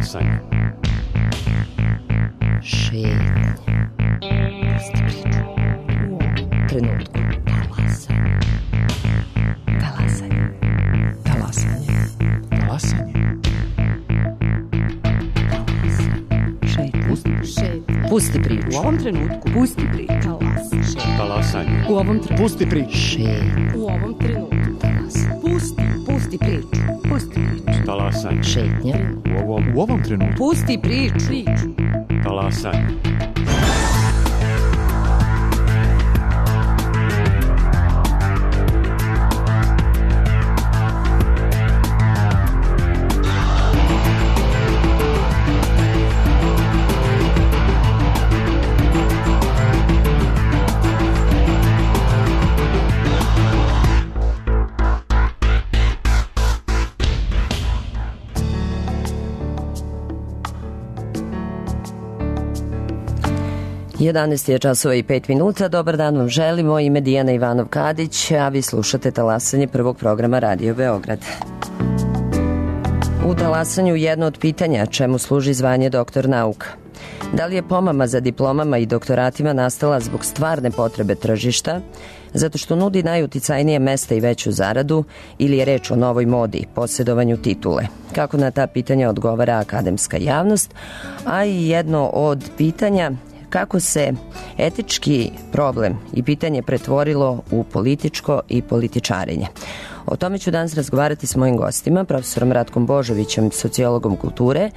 Talasanje. Šetnje. Pusti priču. U ovom trenutku. Talasanje. Talasanje. Talasanje. Talasanje. Pusti priču. U ovom trenutku. Pusti priču. Talasanje. U ovom trenutku. Pusti priču. Šetnje. U ovom trenutku. Pusti priču. Pusti priču. Talasanje. Šetnja. U ovom trenutku. Pusti priču. Talasanje. Jedanaest je časova i 5 minuta. Dobar dan vam želimo. Ime Dijana Ivanov-Kadić, a vi slušate Talasanje prvog programa Radio Beograd. U Talasanju jedno od pitanja čemu služi zvanje doktor nauka. Da li je pomama za diplomama i doktoratima nastala zbog stvarne potrebe tržišta, zato što nudi najuticajnije mesta i veću zaradu, ili je reč o novoj modi, posjedovanju titule? Kako na ta pitanja odgovara akademska javnost, a i jedno od pitanja kako se etički problem i pitanje pretvorilo u političko i političarenje. O tome ću danas razgovarati s mojim gostima, profesorom Ratkom Božovićem, sociologom kulture.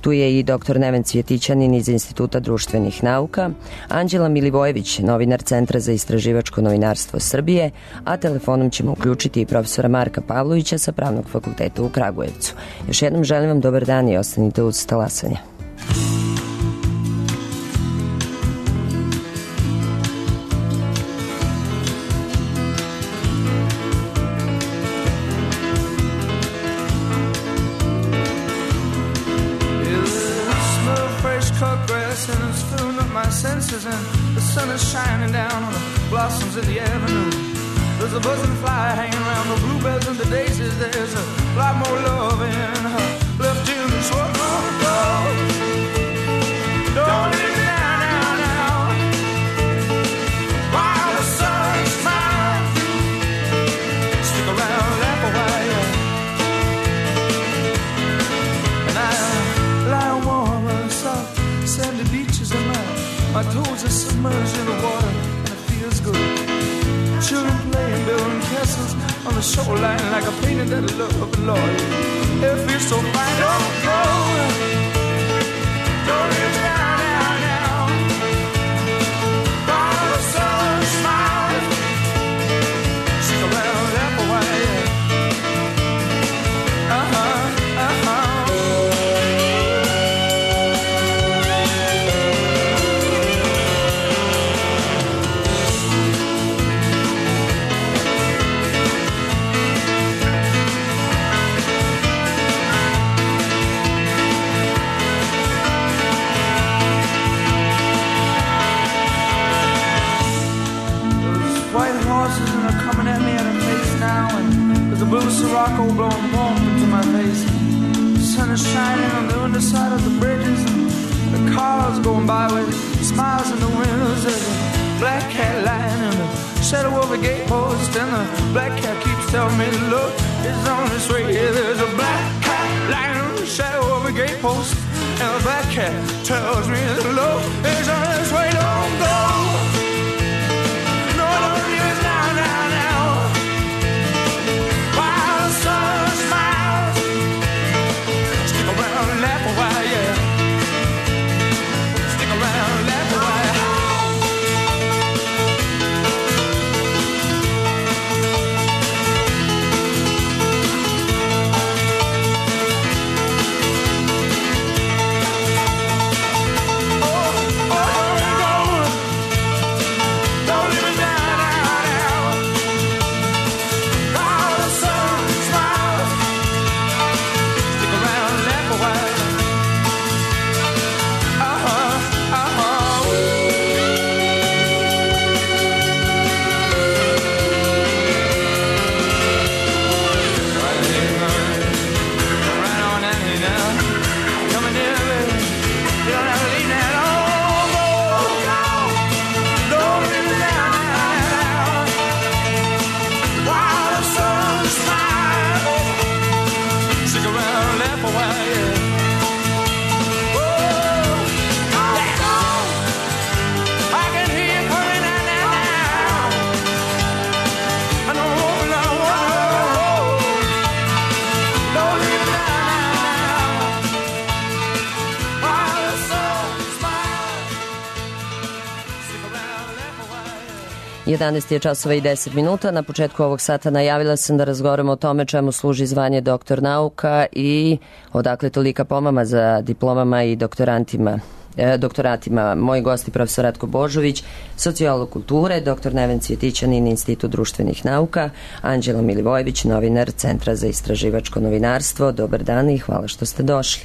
Tu je i dr. Neven Cvjetićanin iz Instituta društvenih nauka, Anđela Milivojević, novinar Centra za istraživačko novinarstvo Srbije, a telefonom ćemo uključiti i profesora Marka Pavlovića sa Pravnog fakulteta u Kragujevcu. Još jednom želim vam dobar dan i ostanite uz Talasanje. And the sun is shining down on the blossoms in the avenue. There's a buzzing fly hanging around the bluebells and the daisies. There's a lot more love in her left in this world. Don't leave me now. While the sun smiles, stick around, laugh a while. And I lie warm and soft, sandy beaches in my toes are submerged in the water, and it feels good. Children playing, building castles on the shoreline like a painting that I love, Lord. It feels so fine. Don't go. Don't leave me now. While the sun smiles, stick around, laugh a while. The blue Sirocco blowing warm into my face. The sun is shining on the underside of the bridges, and the cars going by with smiles in the windows. There's a black cat lying in the shadow of a gatepost, and the black cat keeps telling me, look, it's on its way. There's a black cat lying in the shadow of a gatepost, and the black cat tells me, look, it's on its way. Don't go. No, don't leave us now. Sun smiles, stick around and laugh a while, yeah. Stick around and laugh a while. Oh, don't go. 11 je časova i 10 minuta. Na početku ovog sata najavila sam da razgovaramo o tome čemu služi zvanje doktor nauka i odakle tolika pomama za diplomama i doktoratima. Moji gosti profesor Ratko Božović, sociolog kulture, doktor Neven Cvjetićanin, Institut društvenih nauka, Anđela Milivojević, novinar Centra za istraživačko novinarstvo. Dobar dan i hvala što ste došli.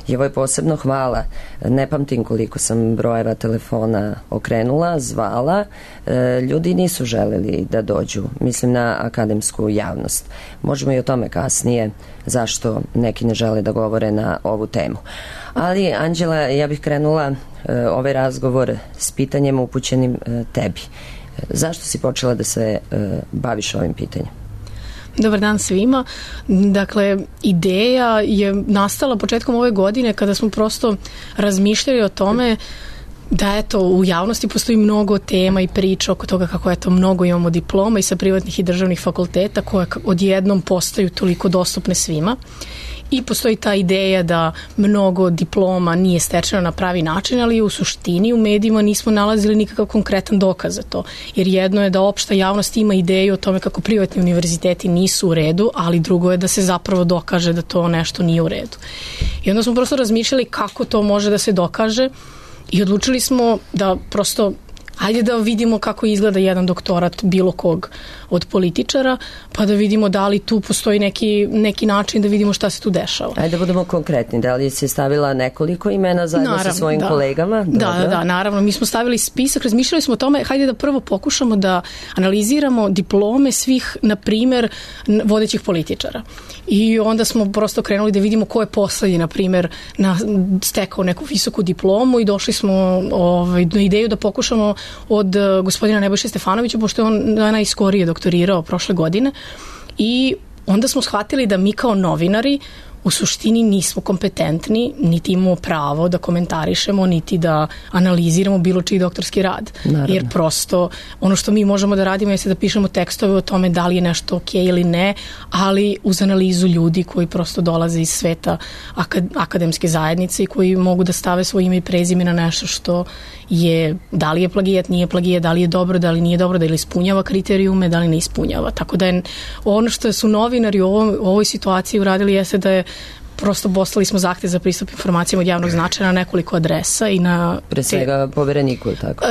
I ovo je posebno hvala. Ne pamtim koliko sam brojeva telefona okrenula, zvala. Ljudi nisu želeli da dođu. Mislim na akademsku javnost. Možemo i o tome kasnije zašto neki ne žele da govore na ovu temu. Ali, Anđela, ja bih krenula ovaj razgovor s pitanjem upućenim tebi. Zašto si počela da se baviš ovim pitanjem? Dobar dan svima. Dakle, ideja je nastala početkom ove godine kada smo prosto razmišljali o tome da eto u javnosti postoji mnogo tema i priča oko toga kako eto mnogo imamo diploma i sa privatnih i državnih fakulteta koje odjednom postaju toliko dostupne svima. I postoji ta ideja da mnogo diploma nije stečeno na pravi način, ali u suštini u medijima nismo nalazili nikakav konkretan dokaz za to. Jer jedno je da opšta javnost ima ideju o tome kako privatni univerziteti nisu u redu, ali drugo je da se zapravo dokaže da to nešto nije u redu. I onda smo prosto razmišljali kako to može da se dokaže i odlučili smo da prosto ajde da vidimo kako izgleda jedan doktorat bilo kog od političara, pa da vidimo da li tu postoji neki način da vidimo šta se tu dešava. Ajde da budemo konkretni. Da li si stavila nekoliko imena zajedno sa svojim kolegama? Da, naravno. Mi smo stavili spisak, razmišljali smo o tome, hajde da prvo pokušamo da analiziramo diplome svih, na primer, vodećih političara. I onda smo prosto krenuli da vidimo ko je poslednji, na primer, stekao neku visoku diplomu i došli smo na ideju da pokušamo od gospodina Nebojše Stefanovića, pošto je on najskorije doktorirao prošle godine, i onda smo shvatili da mi kao novinari u suštini nismo kompetentni, niti imamo pravo da komentarišemo, niti da analiziramo bilo čiji doktorski rad. Naravno. Jer prosto ono što mi možemo da radimo jeste da pišemo tekstove o tome da li je nešto ok ili ne, ali uz analizu ljudi koji prosto dolaze iz sveta akademske zajednice i koji mogu da stave svoje ime i prezime na nešto što je, da li je plagijat, nije plagijat, da li je dobro, da li nije dobro, da li ispunjava kriterijume, da li ne ispunjava. Tako da je ono što su novinari u ovoj situaciji uradili jeste da je prosto poslali smo zahtev za pristup informacijama od javnog značaja na nekoliko adresa i na... Pre svega povereniku, ili tako?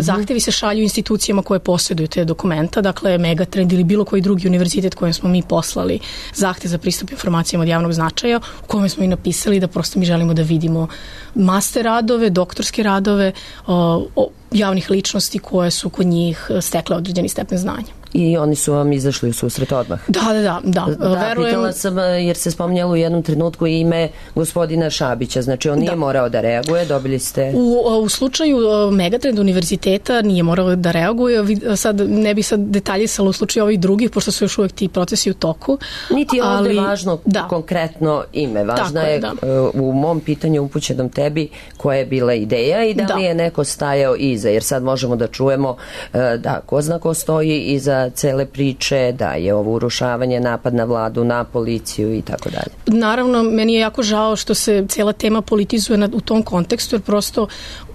Zahtevi se šalju institucijama koje posjeduju te dokumenta, dakle Megatrend ili bilo koji drugi univerzitet kojem smo mi poslali zahtev za pristup informacijama od javnog značaja, u kojem smo i napisali da prosto mi želimo da vidimo master radove, doktorske radove javnih ličnosti koje su kod njih stekle određeni stepen znanja. I oni su vam izašli u susret odmah. Da. Pitala sam jer se spominjalo u jednom trenutku ime gospodina Šabića, znači on nije morao da reaguje, dobili ste... U slučaju Megatrend univerziteta nije morao da reaguje, sad ne bih sad detaljisala u slučaju ovih drugih, pošto su još uvijek ti procesi u toku. Niti je ovdje važno konkretno ime, važno je u mom pitanju upućenom tebi koja je bila ideja i da li je neko stajao iza, jer sad možemo da čujemo da ko zna ko stoji iza cele priče, da je ovo urušavanje, napad na vladu, na policiju i tako dalje. Naravno, meni je jako žao što se cela tema politizuje u tom kontekstu, jer prosto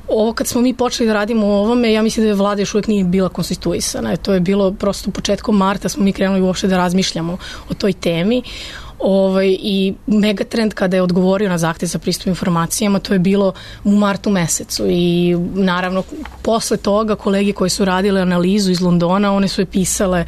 ovo kad smo mi počeli da radimo o ovome, ja mislim da je vlada još uvijek nije bila konstituisana. To je bilo prosto početkom marta smo mi krenuli uopšte da razmišljamo o toj temi. I Megatrend kada je odgovorio na zahtev za pristup informacijama, to je bilo u martu mesecu i naravno posle toga kolege koji su radile analizu iz Londona, one su je pisale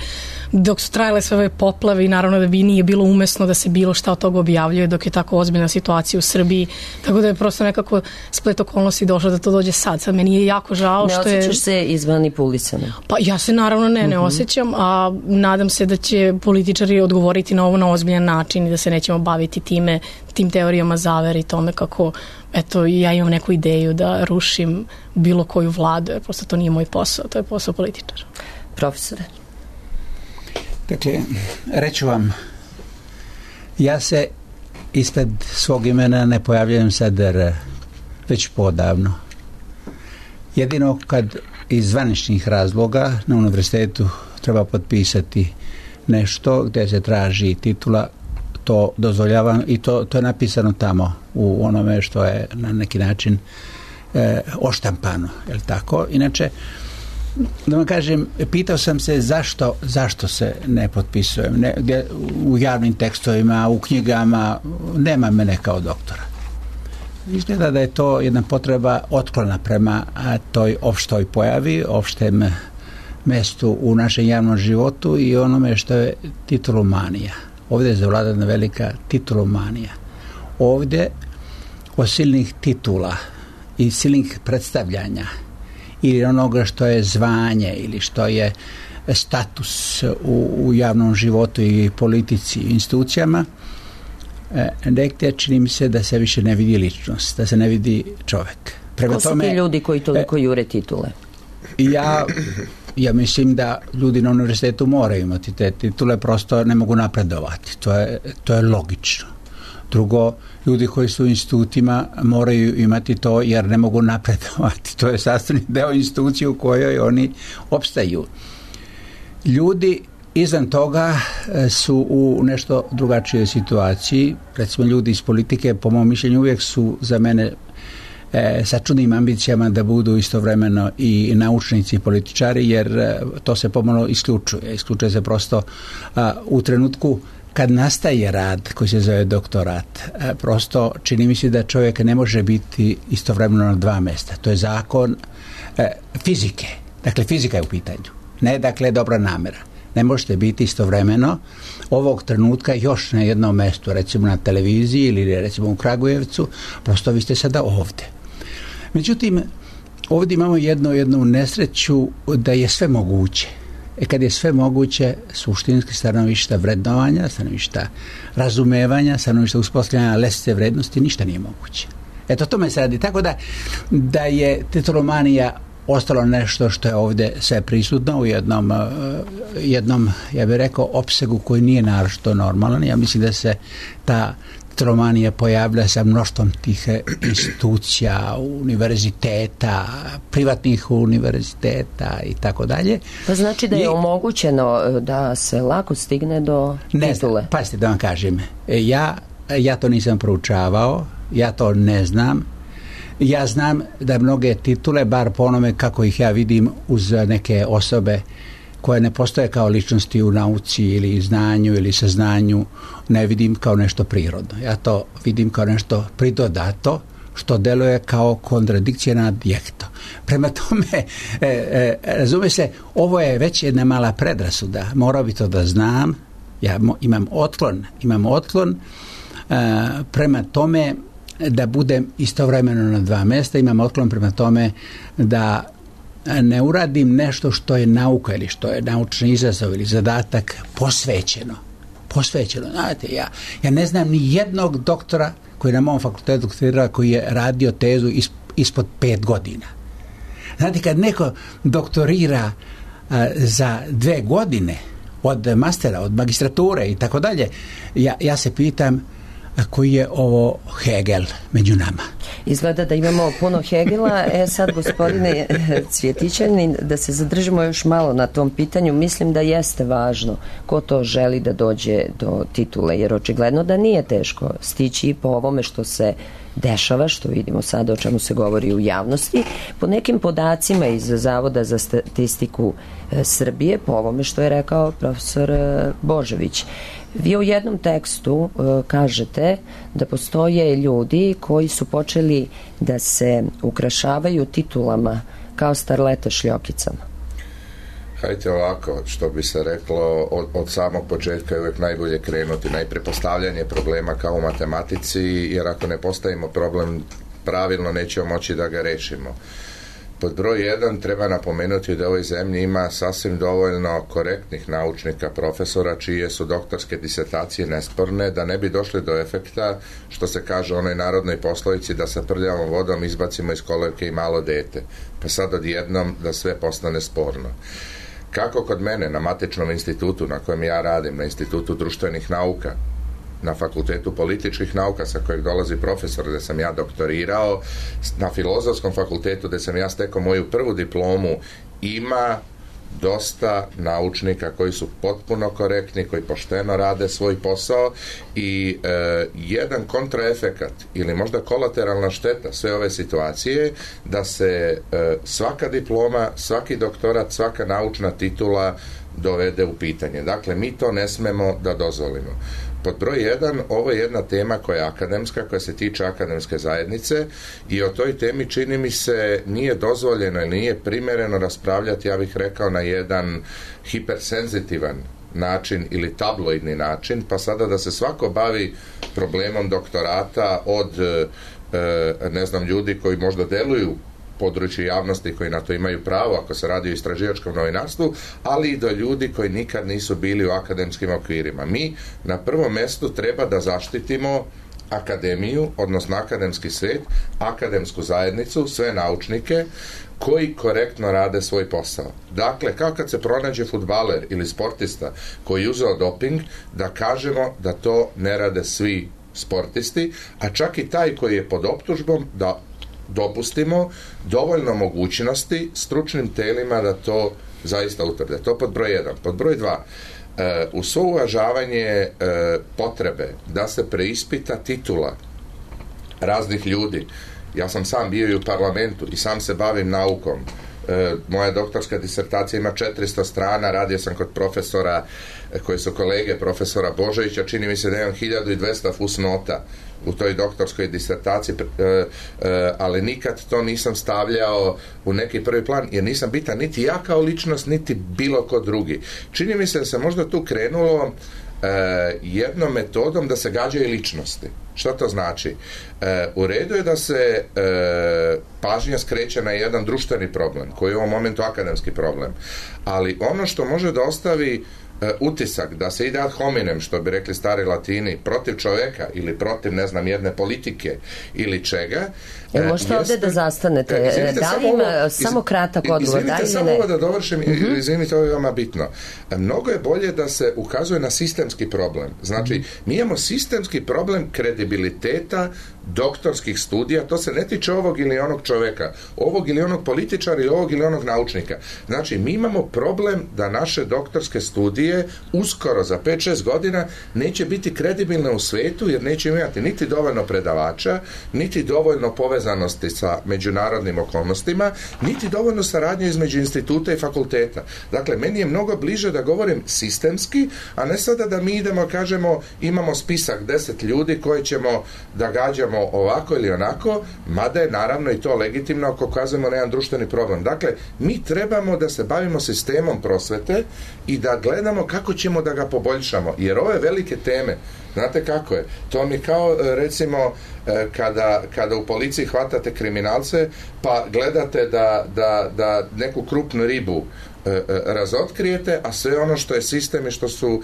dok su trajale sve ove poplave i naravno da bi nije bilo umesno da se bilo šta od toga objavljuje dok je tako ozbiljna situacija u Srbiji, tako da je prosto nekako splet okolnosti došlo da to dođe sad meni je jako žao što je... Ne osjećaš se izmanipulisano? Pa ja se naravno ne osjećam, a nadam se da će političari odgovoriti na ovo na ozbiljan način i da se nećemo baviti tim teorijama zavere i tome kako eto ja imam neku ideju da rušim bilo koju vladu, jer prosto to nije moj posao, to je posao političara. Profesore? Dakle, reću vam, ja se ispred svog imena ne pojavljujem sad već podavno. Jedino kad iz zvaničnih razloga na univerzitetu treba potpisati nešto gdje se traži titula, to dozvoljavam i to je napisano tamo u onome što je na neki način oštampano, je li tako? Inače, da vam kažem, pitao sam se zašto se ne potpisujem. U javnim tekstovima, u knjigama, nema mene kao doktora. Izgleda da je to jedna potreba otklona prema toj opštoj pojavi, opštem mestu u našem javnom životu i onome što je titulomanija. Ovdje je zavladana velika titulomanija. Ovdje od silnih titula i silnih predstavljanja ili onoga što je zvanje ili što je status u javnom životu i politici i institucijama, negdje čini mi se da se više ne vidi ličnost, da se ne vidi čovjek. Ko su ti ljudi koji toliko jure titule? Ja mislim da ljudi na univerzitetu moraju imati te titule, prosto ne mogu napredovati. To je logično. Drugo, ljudi koji su u institutima moraju imati to jer ne mogu napredovati. To je sastavni deo institucije u kojoj oni opstaju. Ljudi izvan toga su u nešto drugačijoj situaciji. Recimo, ljudi iz politike, po mom mišljenju, uvijek su za mene sa čudnim ambicijama da budu istovremeno i naučnici i političari, jer to se pomalo isključuje. Isključuje se prosto u trenutku kad nastaje rad koji se zove doktorat. Prosto čini mi se da čovjek ne može biti istovremeno na dva mjesta. To je zakon fizike. Dakle, fizika je u pitanju. Ne, dakle, dobra namjera. Ne možete biti istovremeno ovog trenutka još na jednom mjestu, recimo na televiziji ili recimo u Kragujevcu, prosto vi ste sada ovdje. Međutim, ovdje imamo jednu nesreću da je sve moguće. Kad je sve moguće, suštinski stanovišta vrednovanja, stanovišta razumevanja, stanovišta uspostavljanja lestvice vrednosti, ništa nije moguće. Eto, tome se radi. Tako da je titulomanija ostalo nešto što je ovdje sve prisutno u jednom, ja bih rekao, opsegu koji nije naročito normalan. Ja mislim da se ta titulomanija pojavlja sa mnoštvom tih institucija, univerziteta, privatnih univerziteta i tako dalje. Pa znači da je omogućeno da se lako stigne do titule? Ne znam, pazite da vam kažem. Ja to nisam proučavao, ja to ne znam. Ja znam da mnoge titule, bar po onome kako ih ja vidim uz neke osobe koje ne postoje kao ličnosti u nauci ili znanju ili saznanju, ne vidim kao nešto prirodno. Ja to vidim kao nešto pridodato što deluje kao kontradikcija na adjekto. Prema tome, razume se, ovo je već jedna mala predrasuda. Morao bi to da znam. Ja imam otklon prema tome da budem istovremeno na dva mjesta, imam otklon prema tome da ne uradim nešto što je nauka ili što je naučni izazov ili zadatak posvećeno. Znate, ja ne znam ni jednog doktora koji je na mom fakultetu doktorirao koji je radio tezu ispod 5 godina. Znate, kad neko doktorira za 2 godine od mastera, od magistrature i tako dalje, ja se pitam koji je ovo Hegel među nama. Izgleda da imamo puno Hegela. Sad, gospodine Cvjetićanin, da se zadržimo još malo na tom pitanju. Mislim da jeste važno ko to želi da dođe do titule, jer očigledno da nije teško stići po ovome što se dešava, što vidimo sada o čemu se govori u javnosti, po nekim podacima iz Zavoda za statistiku Srbije, po ovome što je rekao profesor Božović. Vi u jednom tekstu kažete da postoje ljudi koji su počeli da se ukrašavaju titulama kao starlete šljokicama. Hajde ovako, što bi se reklo, od samog početka je uvijek najbolje krenuti. Najprije postavljanje problema kao u matematici, jer ako ne postavimo problem pravilno, nećemo moći da ga rešimo. Pod broj 1 treba napomenuti da u ovoj zemlji ima sasvim dovoljno korektnih naučnika, profesora, čije su doktorske disertacije nesporne, da ne bi došli do efekta, što se kaže u onoj narodnoj poslovici, da sa prljavom vodom izbacimo iz kolevke i malo dete. Pa sad odjednom da sve postane sporno. Kako kod mene na matičnom institutu na kojem ja radim, na Institutu društvenih nauka, na Fakultetu političkih nauka sa kojeg dolazi profesor gdje sam ja doktorirao, na Filozofskom fakultetu gdje sam ja stekao moju prvu diplomu, ima dosta naučnika koji su potpuno korektni, koji pošteno rade svoj posao i jedan kontraefekat ili možda kolateralna šteta sve ove situacije da se svaka diploma, svaki doktorat, svaka naučna titula dovede u pitanje. Dakle, mi to ne smemo da dozvolimo. Pod broj 1, ovo je jedna tema koja je akademska, koja se tiče akademske zajednice i o toj temi čini mi se nije dozvoljeno ili nije primjereno raspravljati, ja bih rekao, na jedan hipersenzitivan način ili tabloidni način, pa sada da se svako bavi problemom doktorata od ne znam, ljudi koji možda deluju području javnosti koji na to imaju pravo ako se radi o istraživačkom novinarstvu, ali i do ljudi koji nikad nisu bili u akademskim okvirima. Mi na prvom mjestu treba da zaštitimo akademiju, odnosno akademski svijet, akademsku zajednicu, sve naučnike koji korektno rade svoj posao. Dakle, kao kad se pronađe fudbaler ili sportista koji je uzeo doping, da kažemo da to ne rade svi sportisti, a čak i taj koji je pod optužbom da dopustimo dovoljno mogućnosti stručnim telima da to zaista utvrde. To pod broj 1. Pod broj 2, uz svo uvažavanje potrebe da se preispita titula raznih ljudi. Ja sam sam bio i u parlamentu i sam se bavim naukom. Moja doktorska disertacija ima 400 strana, radio sam kod profesora koji su kolege profesora Božovića, čini mi se da imam 1200 fusnota u toj doktorskoj disertaciji, ali nikad to nisam stavljao u neki prvi plan, jer nisam bitan niti ja kao ličnost, niti bilo ko drugi. Čini mi se da se možda tu krenulo jednom metodom da se gađaju ličnosti. Što to znači? U redu je da se pažnja skreće na jedan društveni problem, koji je u ovom momentu akademski problem, ali ono što može da ostavi utisak da se ide ad hominem, što bi rekli stari Latini, protiv čoveka ili protiv, ne znam, jedne politike ili čega. Možete ovdje da zastanete? Da li ima samo kratak odgovor? Izvinite, samo ovo da dovršim, izvinite, ovo je veoma bitno. Mnogo je bolje da se ukazuje na sistemski problem. Znači, mi imamo sistemski problem kredibiliteta doktorskih studija, to se ne tiče ovog ili onog čoveka, ovog ili onog političara ili ovog ili onog naučnika. Znači, mi imamo problem da naše doktorske studije uskoro za 5-6 godina neće biti kredibilne u svetu, jer neće imati niti dovoljno predavača, niti dovoljno povezanosti sa međunarodnim okolnostima, niti dovoljno saradnje između instituta i fakulteta. Dakle, meni je mnogo bliže da govorim sistemski, a ne sada da mi idemo, kažemo, imamo spisak 10 ljudi koje ćemo da gađamo ovako ili onako, mada je naravno i to legitimno ako ukazujemo na jedan društveni problem. Dakle, mi trebamo da se bavimo sistemom prosvete i da gledamo kako ćemo da ga poboljšamo, jer ove velike teme, znate kako je, to mi kao recimo kada u policiji hvatate kriminalce pa gledate da neku krupnu ribu razotkrijete, a sve ono što je sistem i što su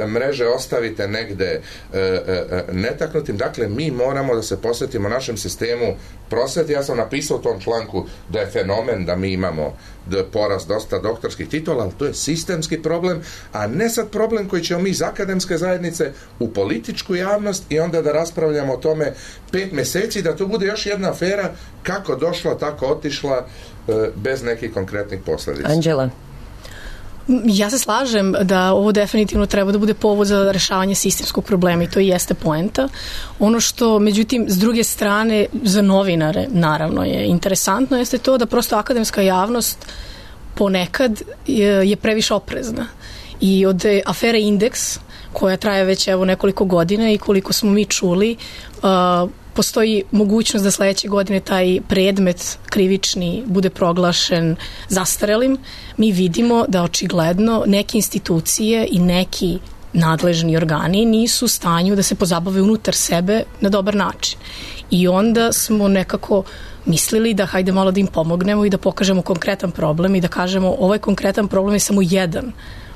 mreže ostavite negde netaknutim. Dakle, mi moramo da se posvetimo našem sistemu prosvete. Ja sam napisao u tom članku da je fenomen da mi imamo porast dosta doktorskih titula, ali to je sistemski problem, a ne sad problem koji ćemo mi iz akademske zajednice u političku javnost i onda da raspravljamo o tome 5 mjeseci, da to bude još jedna afera kako došla, tako otišla, bez nekih konkretnih posljedica. Anđela? Ja se slažem da ovo definitivno treba da bude povod za rešavanje sistemskog problema i to i jeste poenta. Ono što, međutim, s druge strane, za novinare, naravno, je interesantno, jeste to da prosto akademska javnost ponekad je previše oprezna. I od afere Indeks, koja traje već evo nekoliko godina i koliko smo mi čuli, postoji mogućnost da sledeće godine taj predmet krivični bude proglašen zastarelim. Mi vidimo da očigledno neke institucije i neki nadležni organi nisu u stanju da se pozabave unutar sebe na dobar način. I onda smo nekako mislili da hajde malo da im pomognemo i da pokažemo konkretan problem i da kažemo ovaj konkretan problem je samo jedan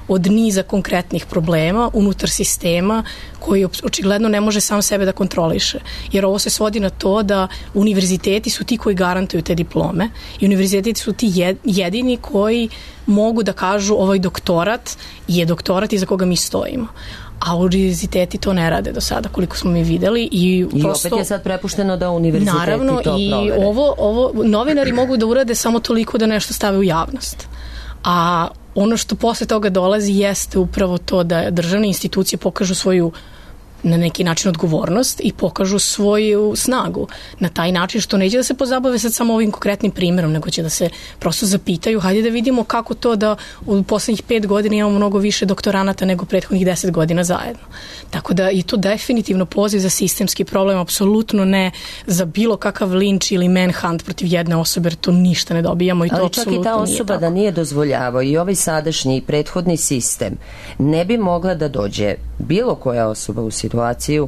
od niza konkretnih problema unutar sistema koji očigledno ne može sam sebe da kontroliše. Jer ovo se svodi na to da univerziteti su ti koji garantuju te diplome i univerziteti su ti jedini koji mogu da kažu ovaj doktorat je doktorat iza koga mi stojimo. A univerziteti to ne rade do sada, koliko smo mi videli. I prosto, opet je sad prepušteno da univerziteti naravno, to provere. Naravno, i ovo novinari mogu da urade samo toliko da nešto stave u javnost. A ono što posle toga dolazi jeste upravo to da državne institucije pokažu svoju na neki način odgovornost i pokažu svoju snagu na taj način što neće da se pozabave sad samo ovim konkretnim primjerom, nego će da se prosto zapitaju, hajde da vidimo kako to da u poslednjih 5 godina imamo mnogo više doktoranata nego prethodnih 10 godina zajedno. Tako da je to definitivno poziv za sistemski problem, apsolutno ne za bilo kakav linč ili manhunt protiv jedne osobe, jer to ništa ne dobijamo i to apsolutno nije tako. Ali čak i ta osoba da nije dozvoljavao i ovaj sadašnji i prethodni sistem ne bi mogla da dođe bilo koja osoba u situaciju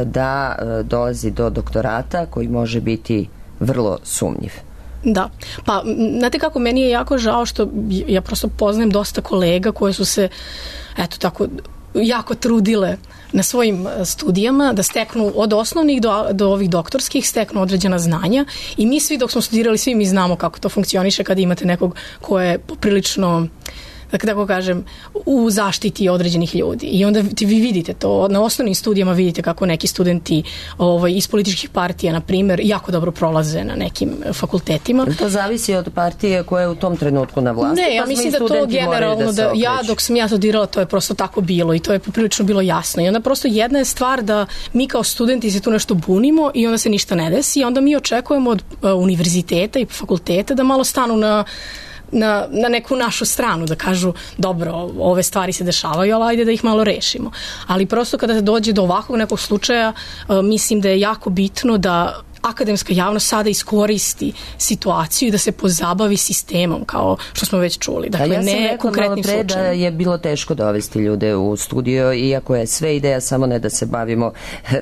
da dolazi do doktorata koji može biti vrlo sumnjiv. Da, pa znate kako, meni je jako žao što ja prosto poznajem dosta kolega koje su se eto tako jako trudile na svojim studijama da steknu od osnovnih do ovih doktorskih, steknu određena znanja i mi svi dok smo studirali, svi mi znamo kako to funkcioniše kada imate nekog ko je poprilično, dakle, tako kažem, u zaštiti određenih ljudi. I onda vi vidite to, na osnovnim studijama vidite kako neki studenti iz političkih partija, na primjer, jako dobro prolaze na nekim fakultetima. To zavisi od partije koja je u tom trenutku na vlasti. Ne, ja mislim da to generalno, da dok sam ja studirala, to je prosto tako bilo i to je poprilično bilo jasno. I onda prosto jedna je stvar da mi kao studenti se tu nešto bunimo i onda se ništa ne desi i onda mi očekujemo od univerziteta i fakulteta da malo stanu na neku našu stranu, da kažu dobro, ove stvari se dešavaju, ali ajde da ih malo rešimo. Ali prosto kada dođe do ovakvog nekog slučaja, mislim da je jako bitno da akademska javnost sada iskoristi situaciju i da se pozabavi sistemom, kao što smo već čuli. Dakle, ja sam rekla malo pre da je bilo teško dovesti ljude u studio, iako je sve ideja samo ne da se bavimo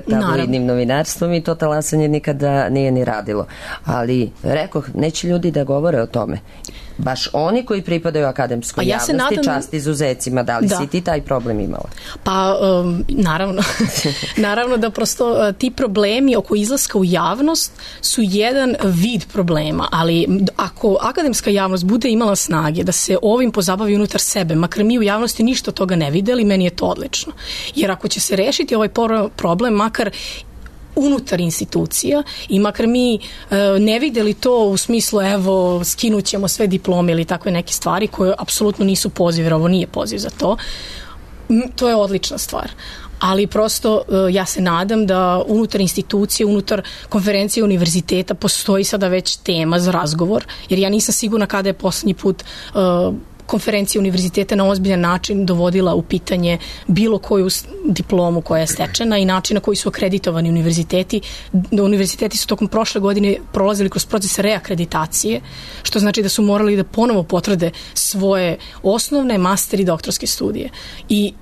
tabloidnim novinarstvom i to talasanje nikada nije ni radilo. Ali, rekoh, neće ljudi da govore o tome. Baš oni koji pripadaju akademskoj javnosti, čast izuzecima, da li si ti taj problem imala? Pa, naravno. Naravno da prosto ti problemi oko izlaska u javnost su jedan vid problema, ali ako akademska javnost bude imala snage da se ovim pozabavi unutar sebe, makar mi u javnosti ništa od toga ne videli, meni je to odlično. Jer ako će se rešiti ovaj problem, makar unutar institucija i makar mi ne videli to u smislu evo skinut ćemo sve diplome ili takve neke stvari koje apsolutno nisu poziv, jer ovo nije poziv za to, to je odlična stvar. Ali prosto ja se nadam da unutar institucije, unutar konferencije univerziteta postoji sada već tema za razgovor, jer ja nisam sigurna kada je poslednji put konferencija univerziteta na ozbiljan način dovodila u pitanje bilo koju diplomu koja je stečena i način na koji su akreditovani univerziteti. Univerziteti su tokom prošle godine prolazili kroz proces reakreditacije, što znači da su morali da ponovo potvrde svoje osnovne, master i doktorske studije. I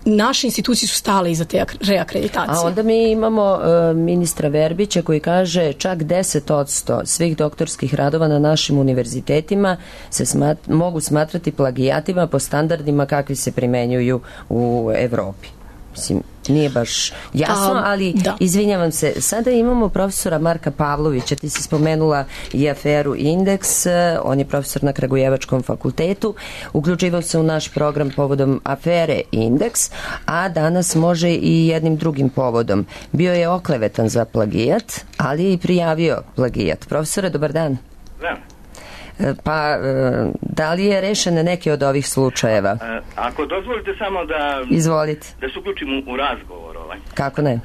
naše institucije su stale iza te reakreditacije. A onda mi imamo ministra Verbića koji kaže čak 10% svih doktorskih radova na našim univerzitetima se mogu smatrati plagijatima po standardima kakvi se primenjuju u Evropi. Mislim, nije baš jasno, ali izvinjavam se, sada imamo profesora Marka Pavlovića, ti si spomenula i aferu Indeks, on je profesor na Kragujevačkom fakultetu, uključivao se u naš program povodom afere Indeks, a danas može i jednim drugim povodom. Bio je oklevetan za plagijat, ali je i prijavio plagijat. Profesore, dobar dan. Da. Pa, da li je rešen neki od ovih slučajeva? Ako dozvolite samo da... Izvolite. Da se uključim u razgovor. Kako ne?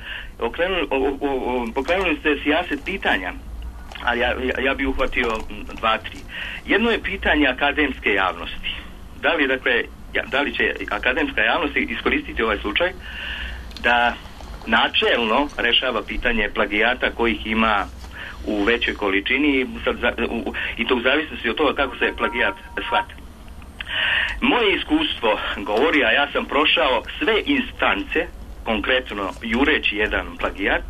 Pokrenuli ste sijaset pitanja, ali ja bih uhvatio 2-3. Jedno je pitanje akademske javnosti. Da li će akademska javnost iskoristiti ovaj slučaj da načelno rešava pitanje plagijata kojih ima u većoj količini i to u zavisnosti od toga kako se plagijat shvata. Moje iskustvo govori, a ja sam prošao sve instance, konkretno jureći jedan plagijat,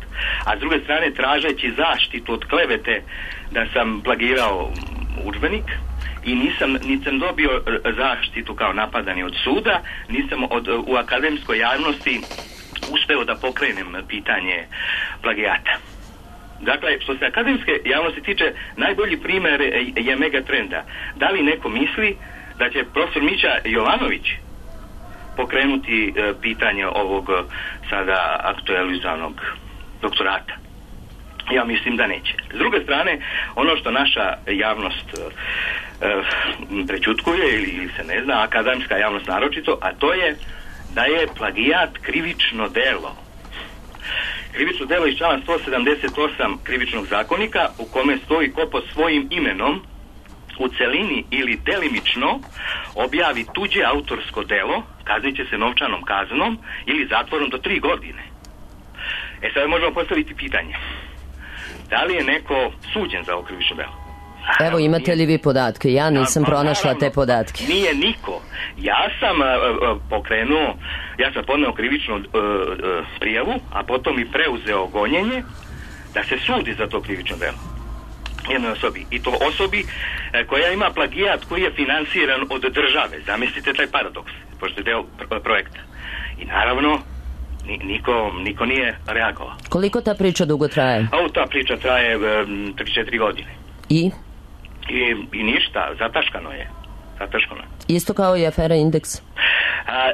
a s druge strane tražeći zaštitu od klevete da sam plagirao udžbenik i nisam dobio zaštitu kao napadani od suda, nisam u akademskoj javnosti uspeo da pokrenem pitanje plagijata. Dakle, što se akademske javnosti tiče, najbolji primjer je Megatrenda. Da li neko misli da će profesor Mića Jovanović pokrenuti pitanje ovog sada aktualizanog doktorata? Ja mislim da neće. S druge strane, ono što naša javnost prećutkuje ili se ne zna, akademska javnost naročito, a to je da je plagijat krivično delo. Krivično delo iz člana 178 krivičnog zakonika u kome stoji ko pod svojim imenom u celini ili delimično objavi tuđe autorsko delo, kaznit će se novčanom kaznom ili zatvorom do 3 godine. Sada možemo postaviti pitanje. Da li je neko suđen za ovo krivično delo? Evo, imate li vi podatke? Ja nisam pronašla te podatke. Nije niko. Ja sam podneo krivičnu prijavu, a potom i preuzeo gonjenje da se sudi za to krivično delo. Jednoj osobi. I to osobi koja ima plagijat koji je finansiran od države. Zamislite taj paradoks, pošto je deo projekta. I naravno, niko nije reagovao. Koliko ta priča dugo traje? Ta priča traje 3-4 godine. I ništa, zataškano je. Isto kao i afera Indeks?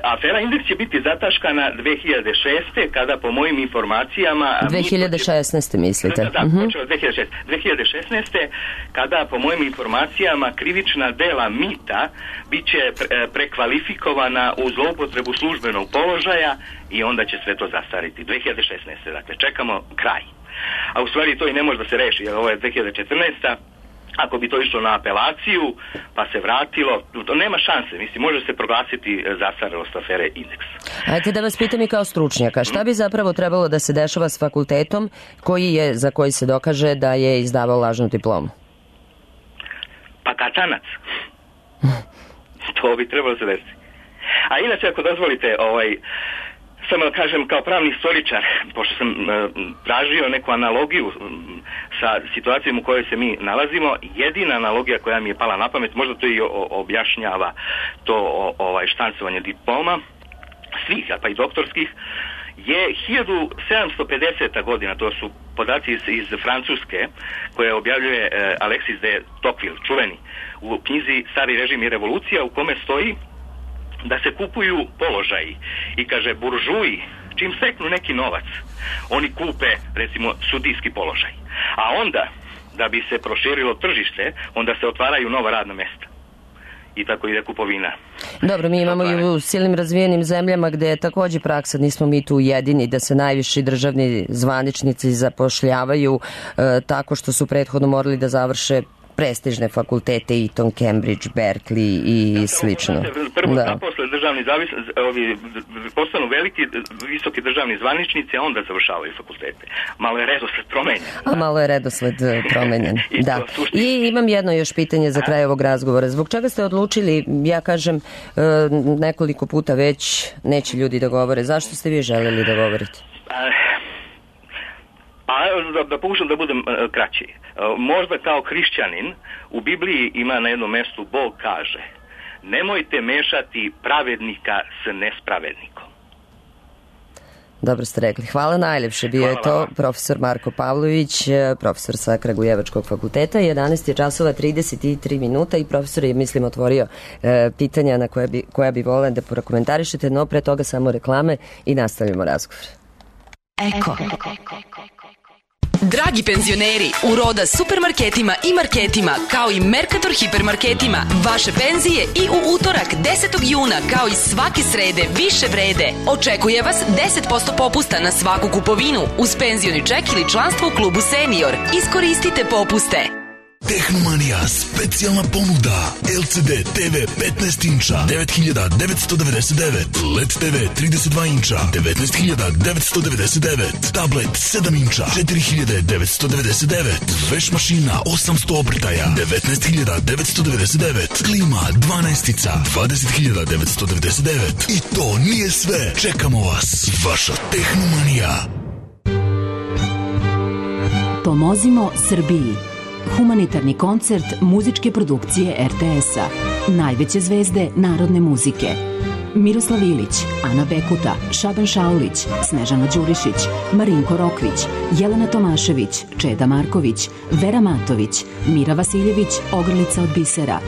Afera Indeks će biti zataškana 2006. kada po mojim informacijama... 2016. mislite? Da, počeo 2016. kada po mojim informacijama krivična dela mita bit će prekvalifikovana u zloupotrebu službenog položaja i onda će sve to zastariti. 2016. Dakle, čekamo kraj. A u stvari to i ne može da se reši, jer ovo je 2014. Ako bi to išlo na apelaciju, pa se vratilo, to nema šanse. Mislim, može se proglasiti zastarelost afere Indeks. Ajde da vas pitam i kao stručnjaka, šta bi zapravo trebalo da se dešava s fakultetom za koji se dokaže da je izdavao lažnu diplomu? Pa katanac. To bi trebalo se desiti. A inače, ako dozvolite, samo da kažem kao pravni istoričar, pošto sam tražio neku analogiju sa situacijom u kojoj se mi nalazimo, jedina analogija koja mi je pala na pamet, možda to i objašnjava to štancovanje diploma, svih, pa i doktorskih, je 1750. godina, to su podaci iz Francuske, koje objavljuje Alexis de Tocqueville, čuveni, u knjizi Stari režim i revolucija, u kome stoji da se kupuju položaji i kaže buržuji čim steknu neki novac oni kupe recimo sudijski položaj, a onda da bi se proširilo tržište onda se otvaraju nova radna mesta i tako ide kupovina. Dobro, mi imamo i u silnim razvijenim zemljama gde je takođe praksa, nismo mi tu jedini, da se najviši državni zvaničnici zapošljavaju tako što su prethodno morali da završe prestižne fakultete, Eton, Cambridge, Berkeley i slično. Prvo zaposle državni postanu veliki, visoki državni zvaničnici, a onda završavaju fakultete. Malo je redosled promenjen. Da. I imam jedno još pitanje za kraj ovog razgovora. Zbog čega ste odlučili, ja kažem nekoliko puta već, neće ljudi da govore, zašto ste vi želeli da govorite? Da pokušam da budem kraći. Možda kao hrišćanin u Bibliji ima na jednom mestu Bog kaže: nemojte mešati pravednika s nespravednikom. Dobro ste rekli. Hvala najljepše. Bio je to profesor Marko Pavlović, profesor sa Kragujevačkog fakulteta. 11 je časova 33 minuta i profesor je, mislim, otvorio pitanja na koja bi voleli da prokomentarišete, no pre toga samo reklame i nastavljamo razgovor. Eko. Dragi penzioneri, u Roda supermarketima i marketima, kao i Mercator hipermarketima, vaše penzije i u utorak 10. juna, kao i svake srede, više vrede. Očekuje vas 10% popusta na svaku kupovinu, uz penzioni ček ili članstvo u klubu Senior. Iskoristite popuste. Tehnomanija, specijalna ponuda. LCD TV 15 inča 9.999, LED TV 32 inča 19.999, tablet 7 inča 4.999, veš mašina 800 obrtaja 19.999, klima 12-ica 20.999. I to nije sve, čekamo vas. Vaša Tehnomanija. Pomozimo Srbiji. Humanitarni koncert muzičke produkcije RTS-a. Najveće zvezde narodne muzike. Miroslav Ilić, Ana Bekuta, Šaban Šaulić, Snežana Đurišić, Marinko Rokvić, Jelena Tomašević, Čeda Marković, Vera Matović, Mira Vasiljević, Ogrlica od bisera,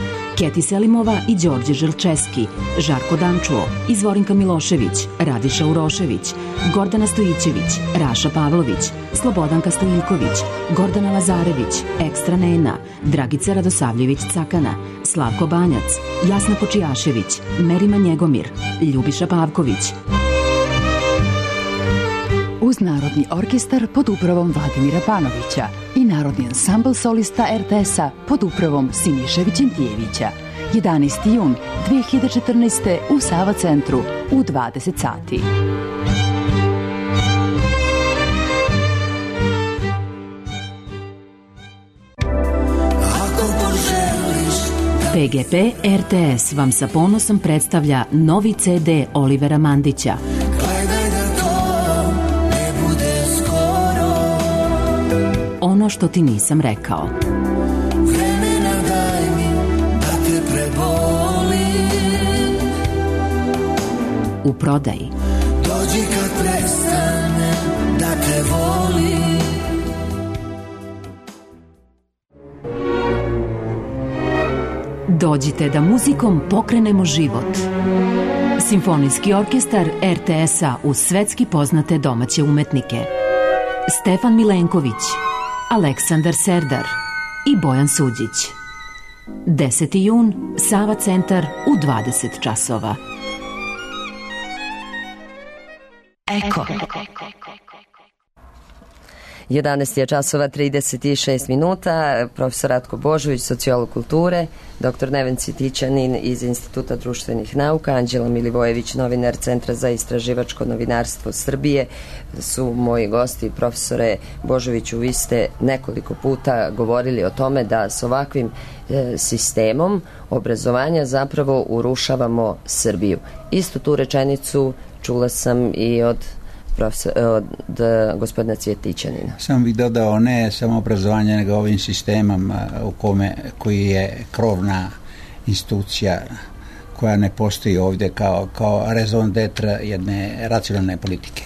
Keti Selimova i Đorđe Želčeski, Žarko Dančuo, Izvorinka Milošević, Radiša Urošević, Gordana Stojićević, Raša Pavlović, Slobodanka Stojiljković, Gordana Lazarević, Ekstra Nena, Dragica Radosavljević-Cakana, Slavko Banjac, Jasna Počijašević, Merima Njegomir, Ljubiša Pavković. Uz Narodni orkestar pod upravom Vladimira Panovića i Narodni ansambl solista RTS-a pod upravom Siniše Vićentijevića. 11. jun 2014. u Sava centru u 20 sati. PGP RTS vam sa ponosom predstavlja novi CD Olivera Mandića. Ono što ti nisam rekao. Vremena daj mi da te prebolim. U prodaji. Dođi kad prestane da te volim. Dođite da muzikom pokrenemo život. Simfonijski orkestar RTS-a uz svetski poznate domaće umetnike. Stefan Milenković, Aleksandar Serdar i Bojan Suđić. 10. jun, Sava centar u 20 časova. Eko. 11 je časova 36 minuta. Profesor Ratko Božović, sociolog kulture, dr. Neven Cvitićanin iz Instituta društvenih nauka, Anđela Milivojević, novinar Centra za istraživačko novinarstvo Srbije su moji gosti. Profesore Božoviću, vi ste nekoliko puta govorili o tome da s ovakvim sistemom obrazovanja zapravo urušavamo Srbiju. Istu tu rečenicu čula sam i od gospodina Cvjetićanina. Sam bih dodao ne samo obrazovanje, nego ovim sistemom koji je krovna institucija koja ne postoji ovdje kao raison d'etre jedne racionalne politike.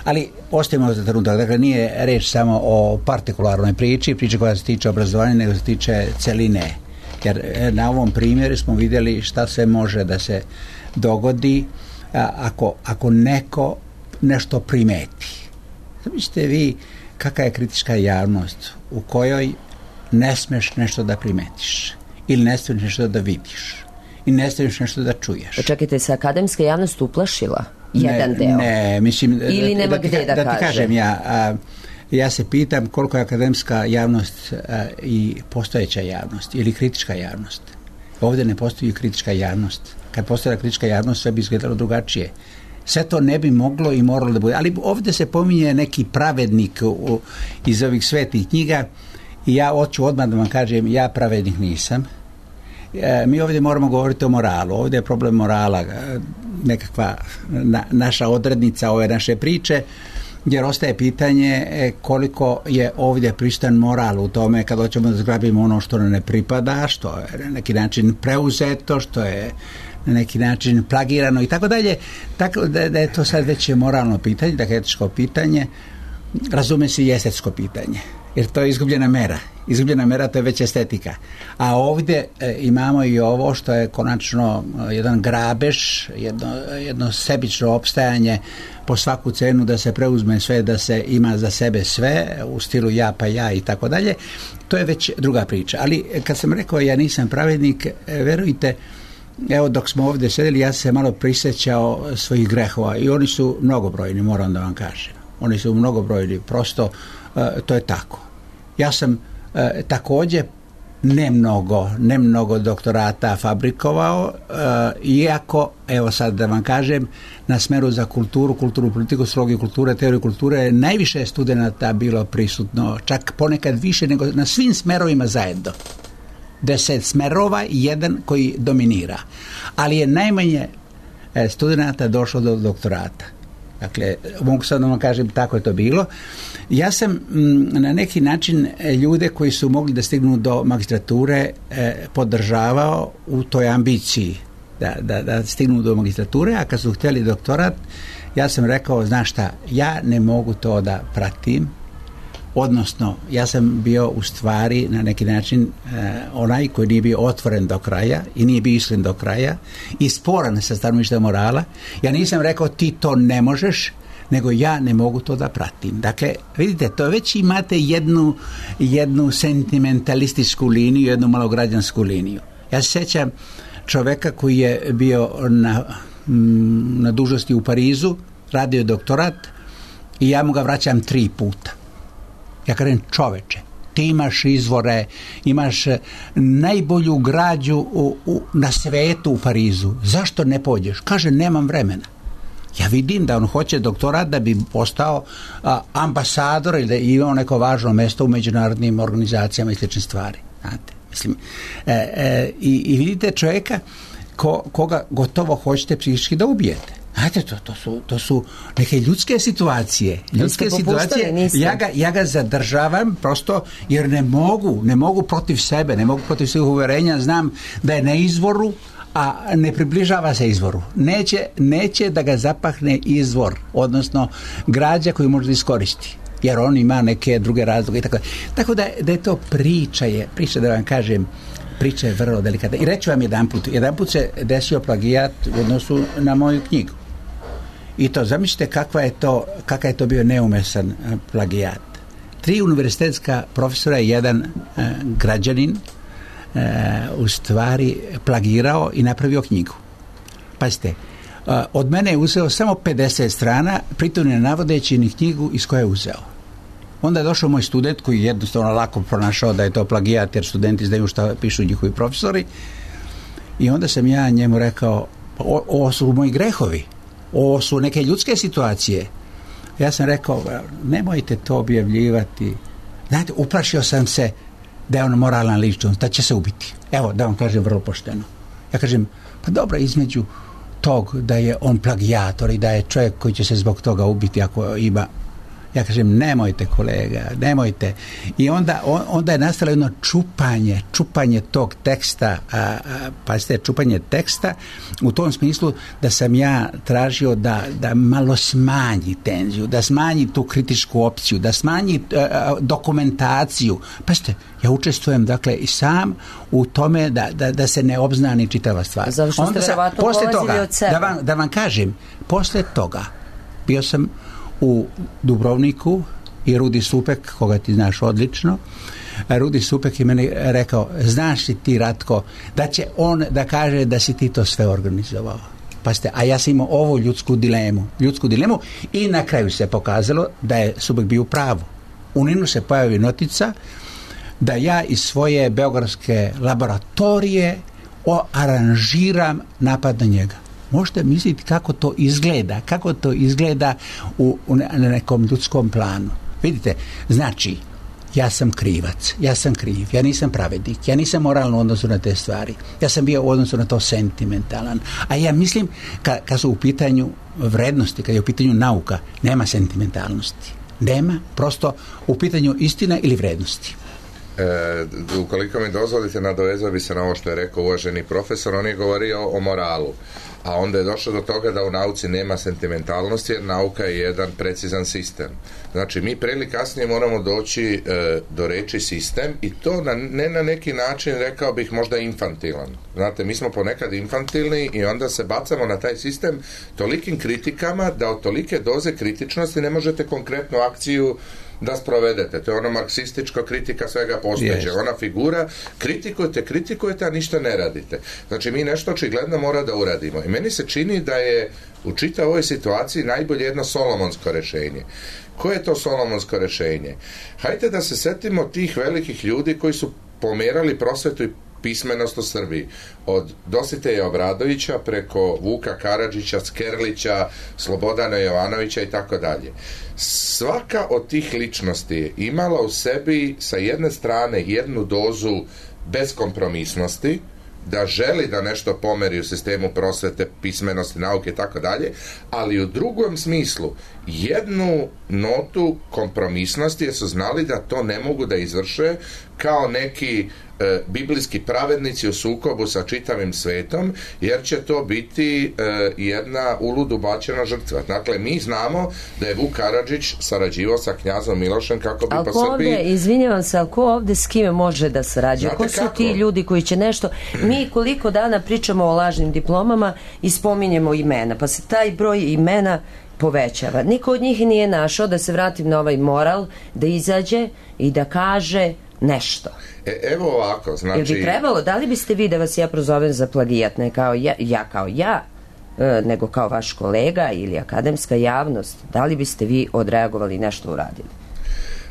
Ali ostavimo za trenutak, dakle nije reč samo o partikularnoj priči koja se tiče obrazovanja, nego se tiče celine. Jer na ovom primjeru smo vidjeli šta se može da se dogodi ako neko nešto primeti. Zamislite vi kakva je kritička javnost u kojoj ne smeš nešto da primetiš ili ne smeš nešto da vidiš i ne smeš nešto da čuješ. Čekajte, se akademska javnost uplašila jedan deo? Ne, mislim ili nema gde da ti kažem ja se pitam koliko je akademska javnost i postojeća javnost ili kritička javnost. Ovdje ne postoji kritička javnost. Kad postoji kritička javnost sve bi izgledalo drugačije. Sve to ne bi moglo i moralo da bude. Ali ovdje se pominje neki pravednik iz ovih svetih knjiga i ja hoću odmah da vam kažem, ja pravednik nisam. Mi ovdje moramo govoriti o moralu. Ovdje je problem morala, nekakva naša odrednica ove naše priče, jer ostaje pitanje koliko je ovdje pristan moral u tome kad hoćemo da zgrabimo ono što nam ne pripada, što je na neki način preuzeto, što je na neki način plagirano i tako dalje. Tako da je to sad već moralno pitanje, dakle etičko pitanje, razume se i estetsko pitanje, jer to je izgubljena mera. Izgubljena mera, to je već estetika. A ovdje imamo i ovo što je konačno jedan grabež, jedno sebično opstajanje po svaku cenu da se preuzme sve, da se ima za sebe sve u stilu ja pa ja i tako dalje. To je već druga priča. Ali kad sam rekao ja nisam pravednik, verujte, evo dok smo ovdje sedeli ja sam se malo prisjećao svojih grehova i oni su mnogobrojni, moram da vam kažem. Oni su mnogobrojni, prosto to je tako. Ja sam također ne mnogo doktorata fabrikovao, iako, evo sad da vam kažem, na smeru za kulturu politiku, sociologiju kulture, teoriju kulture je najviše studenata bilo prisutno, čak ponekad više nego na svim smerovima zajedno. 10 smerova i jedan koji dominira. Ali je najmanje studenata došlo do doktorata. Dakle, mogu sad da vam kažem, tako je to bilo. Ja sam na neki način ljude koji su mogli da stignu do magistrature podržavao u toj ambiciji da stignu do magistrature, a kad su htjeli doktorat, ja sam rekao, znaš šta, ja ne mogu to da pratim, Odnosno, ja sam bio u stvari na neki način onaj koji nije bio otvoren do kraja i nije bio iskren do kraja i sporan sa stanovišta morala. Ja nisam rekao ti to ne možeš, nego ja ne mogu to da pratim. Dakle, vidite, to već imate jednu sentimentalističku liniju, jednu malograđansku liniju. Ja se sjećam čoveka koji je bio na dužnosti u Parizu, radio je doktorat i ja mu ga vraćam 3 puta. Ja kažem, čoveče, ti imaš izvore, imaš najbolju građu na svetu u Parizu. Zašto ne pođeš? Kaže, nemam vremena. Ja vidim da on hoće doktorat da bi postao ambasador ili da imao neko važno mjesto u međunarodnim organizacijama i slične stvari. Znate, mislim, i vidite čovjeka koga gotovo hoćete psihički da ubijete. Znate, to su neke ljudske situacije. Ja ga zadržavam prosto jer ne mogu protiv sebe, ne mogu protiv svih uverenja. Znam da je na izvoru, a ne približava se izvoru. Neće da ga zapahne izvor, odnosno građa koju može da iskoristi. Jer on ima neke druge razloge i tako. Tako da je to priča da vam kažem, priča je vrlo delikatna. I reću vam jedanput se desio plagijat u odnosu na moju knjigu. I to, zamislite kakav je to bio neumesan plagijat. 3 univerzitetska profesora i 1 građanin u stvari plagirao i napravio knjigu. Pazite, od mene je uzeo samo 50 strana, pritom ne navodeći ni knjigu iz koje je uzeo. Onda je došao moj student koji je jednostavno lako pronašao da je to plagijat jer studenti znaju šta pišu njihovi profesori i onda sam ja njemu rekao, ovo su moji grehovi, ovo su neke ljudske situacije. Ja sam rekao, nemojte to objavljivati. Znate, uplašio sam se da je on moralan ličnost, da će se ubiti. Evo, da vam kažem vrlo pošteno. Ja kažem, pa dobro, između tog da je on plagijator i da je čovjek koji će se zbog toga ubiti ako ima. Ja kažem, nemojte kolega, nemojte. I onda je nastalo jedno čupanje tog teksta, pazite, čupanje teksta u tom smislu da sam ja tražio da malo smanji tenziju, da smanji tu kritičku opciju, da smanji dokumentaciju. Pazite, ja učestvujem dakle i sam u tome da se ne obznani čitava stvar. Zato što ste verovatno polazili od sebe. Da vam kažem, posle toga bio sam u Dubrovniku i Rudi Supek, koga ti znaš odlično, Rudi Supek je meni rekao, znaš li ti, Ratko, da će on da kaže da si ti to sve organizovao. Pazite, a ja sam imao ovu ljudsku dilemu i na kraju se pokazalo da je Supek bio u pravu. U Ninu se pojavi notica da ja iz svoje beogradske laboratorije aranžiram napad na njega. Možete misliti kako to izgleda na nekom ljudskom planu. Vidite, znači, ja sam krivac, ja sam kriv, ja nisam pravednik, ja nisam moralno u odnosu na te stvari, ja sam bio u odnosu na to sentimentalan. A ja mislim, kad su u pitanju vrednosti, kad je u pitanju nauka, nema sentimentalnosti. Nema, prosto u pitanju istina ili vrednosti. Ukoliko mi dozvolite, nadovezao bi se na ovo što je rekao uvaženi profesor. On je govorio o moralu, a onda je došlo do toga da u nauci nema sentimentalnosti jer nauka je jedan precizan sistem. Znači mi pre ili kasnije moramo doći do reči sistem i to ne na neki način, rekao bih, možda infantilan. Znate, mi smo ponekad infantilni i onda se bacamo na taj sistem tolikim kritikama da od tolike doze kritičnosti ne možete konkretnu akciju da sprovedete. To je ono marksistička kritika svega postojećeg. Ona figura, kritikujete, a ništa ne radite. Znači, mi nešto očigledno mora da uradimo. I meni se čini da je u čitavoj ovoj situaciji najbolje jedno solomonsko rješenje. Koje je to solomonsko rješenje? Hajde da se setimo tih velikih ljudi koji su pomerali prosvetu i pismenost u Srbiji. Od Dositeja Obradovića preko Vuka Karadžića, Skerlića, Slobodana Jovanovića i tako dalje. Svaka od tih ličnosti je imala u sebi sa jedne strane jednu dozu beskompromisnosti, da želi da nešto pomeri u sistemu prosvete, pismenosti, nauke i tako dalje, ali u drugom smislu jednu notu kompromisnosti jer su znali da to ne mogu da izvrše kao neki biblijski pravednici u sukobu sa čitavim svetom, jer će to biti jedna uludu bačena žrtva. Dakle, mi znamo da je Vuk Karadžić sarađivao sa knjazom Milošem kako bi po Srbiji... Izvinjavam se, ali ko ovde s kime može da sarađuje? Ko su ti ljudi koji će nešto... Mi koliko dana pričamo o lažnim diplomama i spominjemo imena, pa se taj broj imena povećava. Niko od njih nije našao, da se vratim na ovaj moral, da izađe i da kaže nešto. Evo ovako, znači... Jel bi trebalo, da li biste vi da vas ja prozovem za plagijat, ne kao ja, nego kao vaš kolega ili akademska javnost, da li biste vi odreagovali i nešto uradili?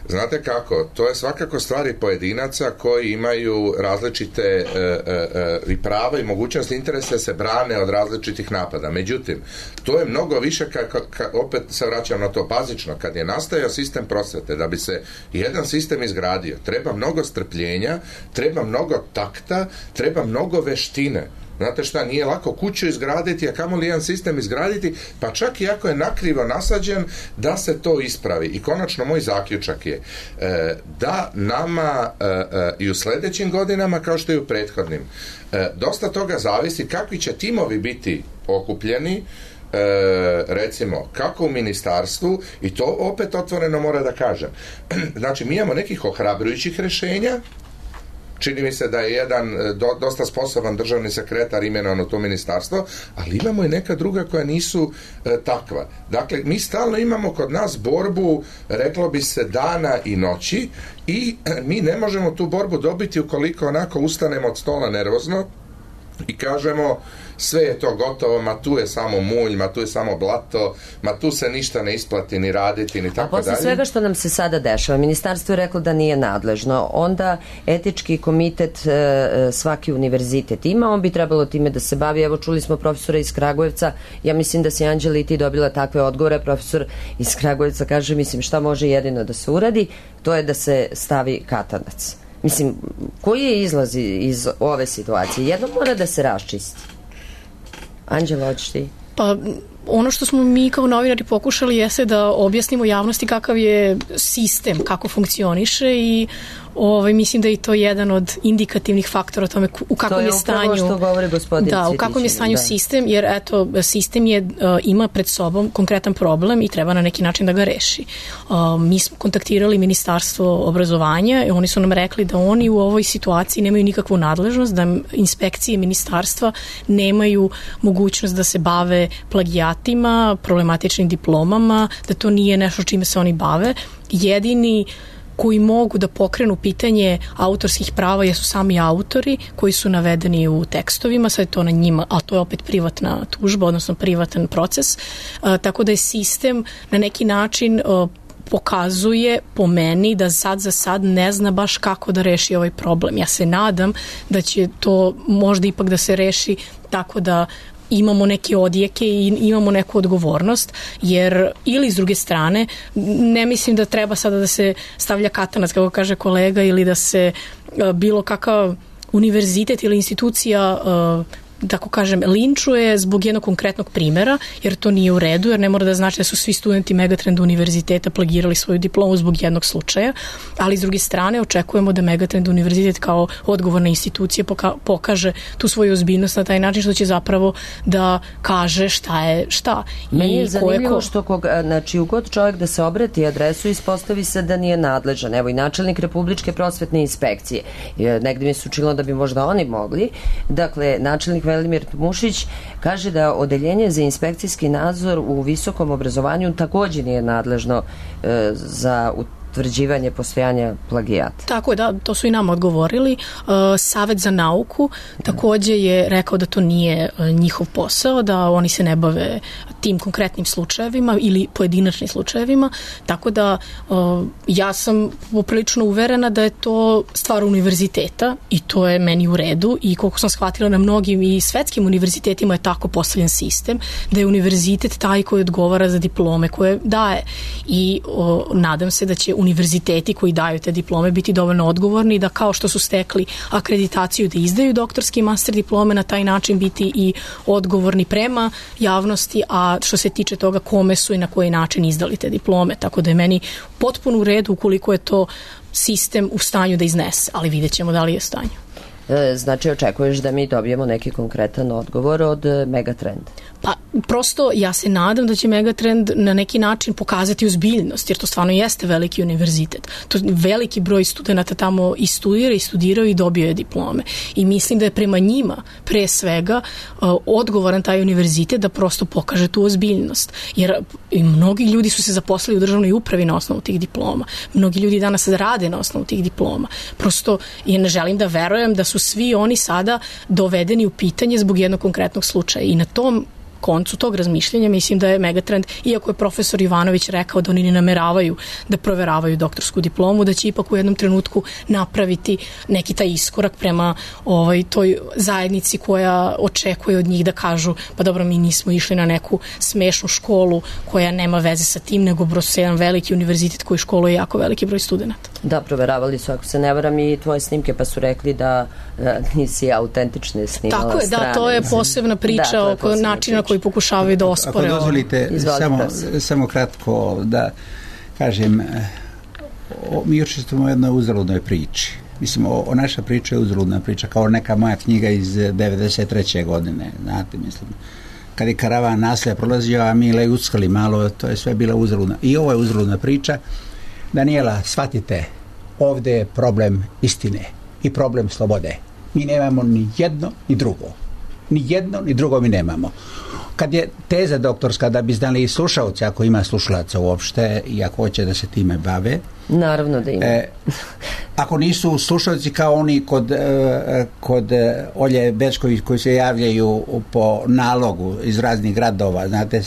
Znate kako, to je svakako stvari pojedinaca koji imaju različite i prava i mogućnosti interesa se brane od različitih napada. Međutim, to je mnogo više, opet se vraćam na to bazično, kad je nastajao sistem prosvete, da bi se jedan sistem izgradio, treba mnogo strpljenja, treba mnogo takta, treba mnogo veštine. Znate šta, nije lako kuću izgraditi, a kamoli jedan sistem izgraditi, pa čak i ako je nakrivo nasađen, da se to ispravi. I konačno moj zaključak je da nama i u sljedećim godinama, kao što i u prethodnim, dosta toga zavisi kakvi će timovi biti okupljeni, recimo, kako u ministarstvu, i to opet otvoreno mora da kažem. Znači, mi imamo nekih ohrabrujućih rešenja. Čini mi se da je jedan dosta sposoban državni sekretar imenovan u to ministarstvo, ali imamo i neka druga koja nisu takva. Dakle, mi stalno imamo kod nas borbu, reklo bi se, dana i noći, i mi ne možemo tu borbu dobiti ukoliko onako ustanemo od stola nervozno i kažemo sve je to gotovo, ma tu je samo mulj, ma tu je samo blato, ma tu se ništa ne isplati ni raditi, ni tako dalje. A posle svega što nam se sada dešava, ministarstvo je reklo da nije nadležno, onda etički komitet svaki univerzitet ima, on bi trebalo time da se bavi. Evo, čuli smo profesora iz Kragujevca, ja mislim da si Anđela i ti dobila takve odgovore. Profesor iz Kragujevca kaže, mislim, šta može jedino da se uradi, to je da se stavi katanac. Mislim, koji je izlaz iz ove situacije? Jedno mora da se raščisti. Anđela, hoćeš ti? Pa, ono što smo mi kao novinari pokušali jeste da objasnimo javnosti kakav je sistem, kako funkcioniše, i mislim da je to jedan od indikativnih faktora o tome u kakvom je stanju. To je upravo što govori gospodin Cvitić. Da, u kakvom je stanju sistem, jer eto, sistem ima pred sobom konkretan problem i treba na neki način da ga reši. Mi smo kontaktirali Ministarstvo obrazovanja i oni su nam rekli da oni u ovoj situaciji nemaju nikakvu nadležnost, da inspekcije ministarstva nemaju mogućnost da se bave plagijatima, problematičnim diplomama, da to nije nešto čime se oni bave. Jedini koji mogu da pokrenu pitanje autorskih prava jesu sami autori koji su navedeni u tekstovima, sad je to na njima, a to je opet privatna tužba, odnosno privatan proces, tako da je sistem na neki način pokazuje po meni da sad za sad ne zna baš kako da reši ovaj problem. Ja se nadam da će to možda ipak da se reši tako da imamo neke odjeke i imamo neku odgovornost, jer ili s druge strane ne mislim da treba sada da se stavlja katanac, kako kaže kolega, ili da se bilo kakav univerzitet ili institucija tako kažem, linčuje zbog jednog konkretnog primjera, jer to nije u redu, jer ne mora da znači da su svi studenti Megatrend univerziteta plagirali svoju diplomu zbog jednog slučaja, ali s druge strane očekujemo da Megatrend univerzitet kao odgovorna institucija pokaže tu svoju ozbiljnost na taj način što će zapravo da kaže šta je šta. Meni je zanimljivo što znači ugod čovjek da se obrati adresu ispostavi se da nije nadležan. Evo i načelnik Republičke prosvetne inspekcije. Negdje mi se učilo da bi možda oni mogli. Dakle, načelnik Velimir Mušić kaže da odeljenje za inspekcijski nadzor u visokom obrazovanju također nije nadležno za utvrđivanje postojanja plagijata. Tako je, da, to su i nam odgovorili. Savet za nauku također je rekao da to nije njihov posao, da oni se ne bave tim konkretnim slučajevima ili pojedinačnim slučajevima, tako da ja sam poprilično uverena da je to stvar univerziteta i to je meni u redu i koliko sam shvatila na mnogim i svetskim univerzitetima je tako postavljen sistem, da je univerzitet taj koji odgovara za diplome koje daje i nadam se da će univerziteti koji daju te diplome biti dovoljno odgovorni da kao što su stekli akreditaciju da izdaju doktorski i master diplome, na taj način biti i odgovorni prema javnosti, a što se tiče toga kome su i na koji način izdali te diplome. Tako da je meni potpuno u redu ukoliko je to sistem u stanju da iznese, ali vidjet ćemo da li je u stanju. Znači, očekuješ da mi dobijemo neki konkretan odgovor od Megatrend? Pa, prosto ja se nadam da će Megatrend na neki način pokazati ozbiljnost, jer to stvarno jeste veliki univerzitet. To veliki broj studenta tamo i studira i studirao i dobio je diplome. I mislim da je prema njima, pre svega, odgovoran taj univerzitet da prosto pokaže tu ozbiljnost. Jer i mnogi ljudi su se zaposlili u državnoj upravi na osnovu tih diploma. Mnogi ljudi danas rade na osnovu tih diploma. Prosto, ja ne želim da verujem da su svi oni sada dovedeni u pitanje zbog jednog konkretnog slučaja. I na tom koncu tog razmišljanja mislim da je Megatrend, iako je profesor Ivanović rekao da oni ne nameravaju da proveravaju doktorsku diplomu, da će ipak u jednom trenutku napraviti neki taj iskorak prema toj zajednici koja očekuje od njih da kažu pa dobro, mi nismo išli na neku smešnu školu koja nema veze sa tim, nego prosto jedan veliki univerzitet koji školuje jako veliki broj studenta. Da, proveravali su, ako se ne varam, i tvoje snimke, pa su rekli da nisi autentične snimala strane. Tako je, da, to je posebna priča oko načina koji pokušavaju da ospore. Ako dozvolite, samo kratko da kažem, mi učestvujemo u jednoj uzaludnoj priči. Mislim, naša priča je uzaludna priča, kao neka moja knjiga iz 93. godine, znate, mislim. Kad je karavan naselja prolazio, a mi lejuckali malo, to je sve bila uzaludna. I ovo je uzaludna priča. Daniela, shvatite, ovdje je problem istine i problem slobode. Mi nemamo ni jedno ni drugo. Ni jedno ni drugo mi nemamo. Kad je teza doktorska, da bi znali i slušalci, ako ima slušalaca uopšte i ako hoće da se time bave. Naravno da ima. Ako nisu slušalci kao oni kod Olje Bečković koji se javljaju po nalogu iz raznih gradova, znate,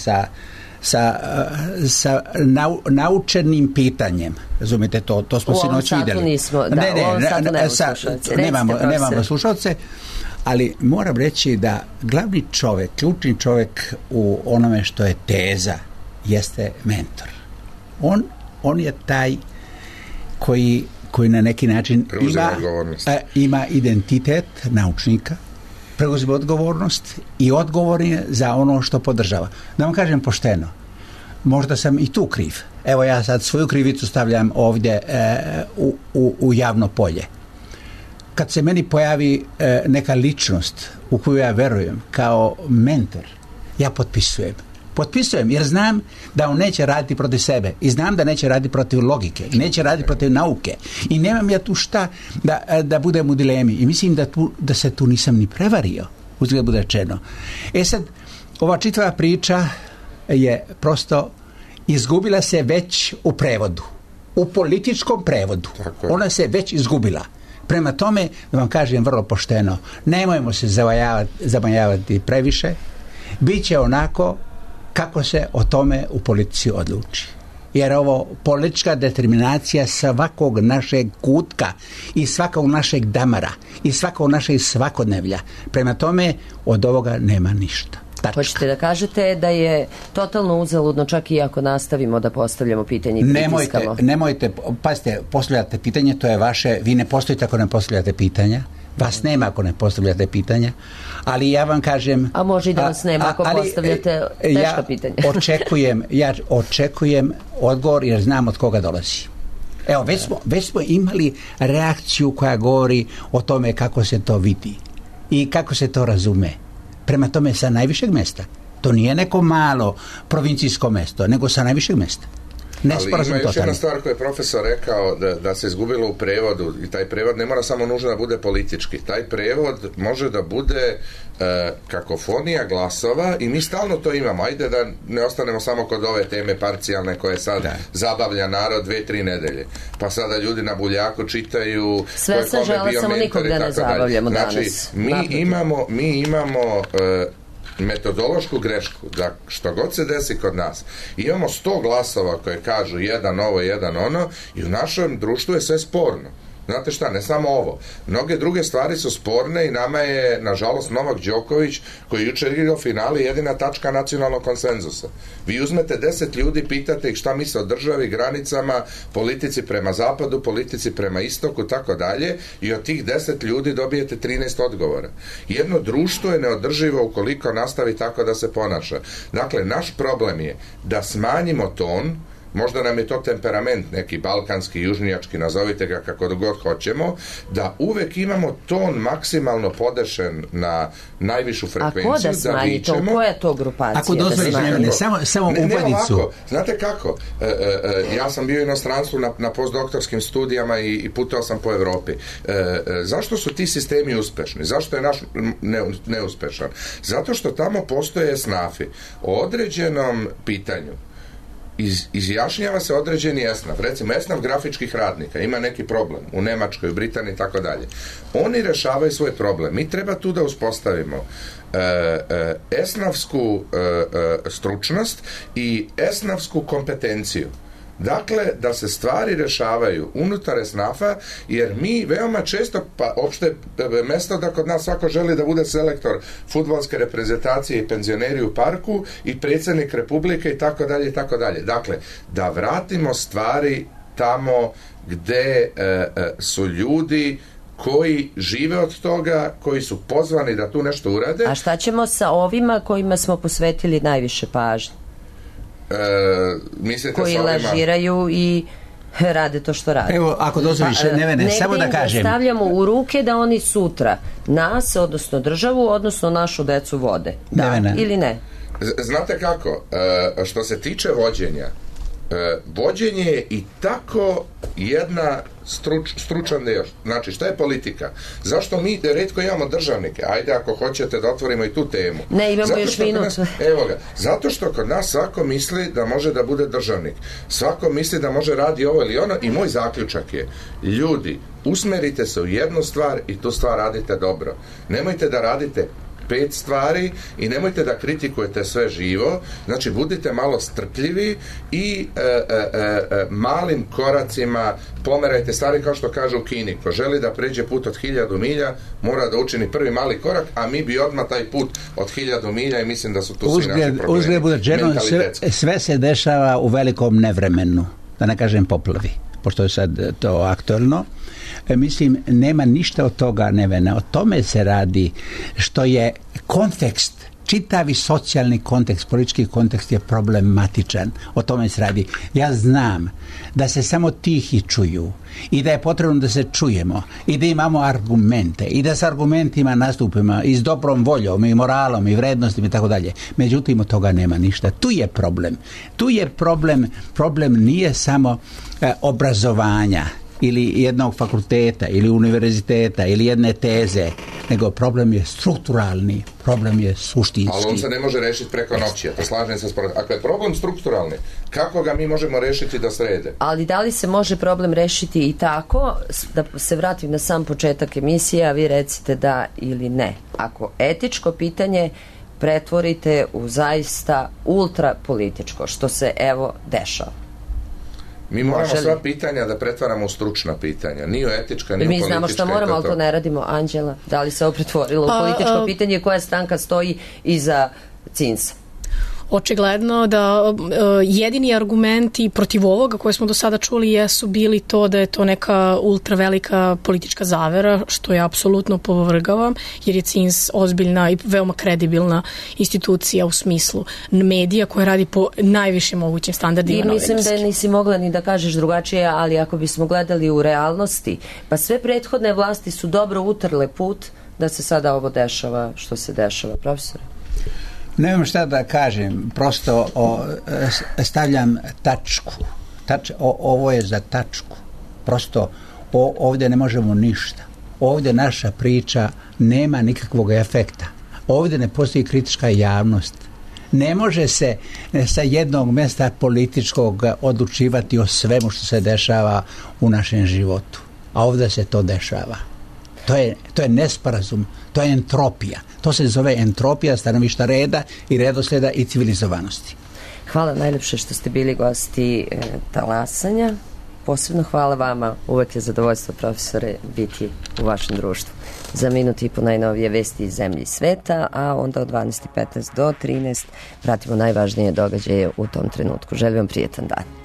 sa naučenim pitanjem. Razumite, to smo sinoć vidjeli. Nismo, da, u ovom satu nemamo slušalce. Nemamo slušalce, ali moram reći da glavni čovjek, ključni čovjek u onome što je teza jeste mentor. On je taj koji na neki način ima identitet naučnika, preuzima odgovornost i odgovoran je za ono što podržava. Da vam kažem pošteno, možda sam i tu kriv. Evo, ja sad svoju krivicu stavljam ovdje u javno polje. Kad se meni pojavi neka ličnost u koju ja verujem kao mentor, ja potpisujem jer znam da on neće raditi protiv sebe i znam da neće raditi protiv logike i neće raditi protiv nauke i nemam ja tu šta da budem u dilemi i mislim da se tu nisam ni prevario, uzgled bude rečeno. Sad, ova čitava priča je prosto izgubila se već u prevodu, u političkom prevodu. Ona se već izgubila. Prema tome, da vam kažem vrlo pošteno, nemojmo se zamajavati previše, bit će onako kako se o tome u politici odluči. Jer ovo politička determinacija svakog našeg kutka i svakog našeg damara i svakog našeg svakodnevlja. Prema tome, od ovoga nema ništa. Tačka. Hoćete da kažete da je totalno uzaludno čak i ako nastavimo da postavljamo pitanje i pritiskamo? Nemojte, pazite, postavljate pitanje, to je vaše, vi ne postojite ako ne postavljate pitanja, vas nema ako ne postavljate pitanja, ali ja vam kažem... A može i da vas nema ako postavljate teška pitanja. Ja očekujem odgovor jer znam od koga dolazi. Evo, već smo imali reakciju koja govori o tome kako se to vidi i kako se to razume. Prema tome sa najvišeg mjesta. To nije neko malo provincijsko mjesto, nego sa najvišeg mjesta. Ali ima još jedna stvar koju je profesor rekao da se izgubilo u prevodu i taj prevod ne mora samo nužno da bude politički. Taj prevod može da bude kakofonija glasova i mi stalno to imamo. Ajde da ne ostanemo samo kod ove teme parcijalne koje sad zabavlja narod 2-3 nedelje. Pa sada ljudi na buljaku čitaju sve se žele, samo nikog da ne zabavljamo danas. Znači, mi imamo metodološku grešku da što god se desi kod nas imamo 100 glasova koje kažu jedan ovo, jedan ono i u našem društvu je sve sporno. Znate šta, ne samo ovo. Mnoge druge stvari su sporne i nama je, nažalost, Novak Đoković, koji je jučer igrao finali, jedina tačka nacionalnog konsenzusa. Vi uzmete 10 ljudi, pitate ih šta misle o državi, granicama, politici prema zapadu, politici prema istoku, tako dalje, i od tih 10 ljudi dobijete 13 odgovora. Jedno društvo je neodrživo ukoliko nastavi tako da se ponaša. Dakle, naš problem je da smanjimo ton. Možda nam je to temperament, neki balkanski, južnjački, nazovite ga kako god hoćemo, da uvek imamo ton maksimalno podešen na najvišu frekvenciju. A ko da smanji to? Koja je to grupacija? Ako dozvoliš, samo uvodicu. Znate kako? Ja sam bio u inostranstvu na postdoktorskim studijama i putovao sam po Evropi. Zašto su ti sistemi uspešni? Zašto je naš neuspešan? Zato što tamo postoje esnafi. O određenom pitanju izjašnjava se određeni esnaf, recimo esnaf grafičkih radnika, ima neki problem u Nemačkoj, u Britaniji i tako dalje. Oni rešavaju svoj problem. Mi treba tu da uspostavimo esnafsku stručnost i esnafsku kompetenciju. Dakle, da se stvari rešavaju unutar esnafa, jer mi veoma često, pa opšte mesto da kod nas svako želi da bude selektor fudbalske reprezentacije i penzioneri u parku i predsjednik Republike i tako dalje i tako dalje. Dakle, da vratimo stvari tamo gde su ljudi koji žive od toga, koji su pozvani da tu nešto urade. A šta ćemo sa ovima kojima smo posvetili najviše pažnje? Koji lažiraju i rade to što rade. Evo, ako dozvoliš, Nevene, samo da kažem. Da stavljamo u ruke da oni sutra nas, odnosno državu, odnosno našu decu vode. Da, Nevene. Ili ne? Znate kako, što se tiče vođenja, vođenje je i tako jedna stručan deo. Znači, šta je politika? Zašto mi retko imamo državnike? Ajde, ako hoćete da otvorimo i tu temu. Ne, imamo još minut. Evo ga. Zato što kod nas svako misli da može da bude državnik. Svako misli da može radi ovo ili ono i moj zaključak je, ljudi, usmerite se u jednu stvar i tu stvar radite dobro. Nemojte da radite 5 stvari i nemojte da kritikujete sve živo, znači budite malo strpljivi i malim koracima pomerajte stvari, kao što kaže u Kini, ko želi da pređe put od 1000 milja mora da učini prvi mali korak, a mi bi odmah taj put od 1000 milja i mislim da su tu svi naši problemi. Sve se dešava u velikom nevremenu, da ne kažem poplavi, pošto je sad to aktualno. Mislim, nema ništa od toga, Nevena. O tome se radi, što je kontekst, čitavi socijalni kontekst, politički kontekst je problematičan. O tome se radi. Ja znam da se samo tihi čuju i da je potrebno da se čujemo i da imamo argumente i da s argumentima nastupimo i s dobrom voljom i moralom i vrednostima i tako dalje. Međutim, od toga nema ništa. Tu je problem. Tu je problem nije samo obrazovanja ili jednog fakulteta ili univerziteta ili jedne teze, nego problem je strukturalni, problem je suštinski. Ali on se ne može rešiti preko noći, to slažem se. Ako je problem strukturalni, kako ga mi možemo rešiti da srede? Ali da li se može problem rešiti i tako, da se vratim na sam početak emisije, a vi recite da ili ne. Ako etičko pitanje pretvorite u zaista ultrapolitičko, što se evo dešava. Mi moramo sva pitanja da pretvaramo u stručna pitanja. Ni u etička, ni u politička. Mi znamo što moramo, ali to ne radimo. Anđela, da li se ovo pretvorilo u političko pitanje, koja stranka stoji iza CINS-a? Očigledno da jedini argumenti protiv ovoga koje smo do sada čuli jesu bili to da je to neka ultravelika politička zavera, što ja apsolutno povrgavam, jer je CINS ozbiljna i veoma kredibilna institucija u smislu medija koja radi po najvišim mogućim standardima novinarskim. I mislim da nisi mogla ni da kažeš drugačije, ali ako bismo gledali u realnosti, pa sve prethodne vlasti su dobro utrle put da se sada ovo dešava što se dešava. Profesore? Nemam šta da kažem, prosto stavljam tačku. Ovo je za tačku. Prosto ovdje ne možemo ništa. Ovdje naša priča nema nikakvog efekta. Ovdje ne postoji kritička javnost. Ne može se sa jednog mjesta političkog odlučivati o svemu što se dešava u našem životu. A ovdje se to dešava. To je nesporazum, to je entropija. To se zove entropija stanovišta reda i redosljeda i civilizovanosti. Hvala najljepše što ste bili gosti Talasanja. posebno hvala vama, uvek je zadovoljstvo, profesore, biti u vašem društvu. Za minut i po najnovije vesti iz zemlje i sveta, a onda od 12:15 do 13 pratimo najvažnije događaje u tom trenutku. Želim vam prijetan dan.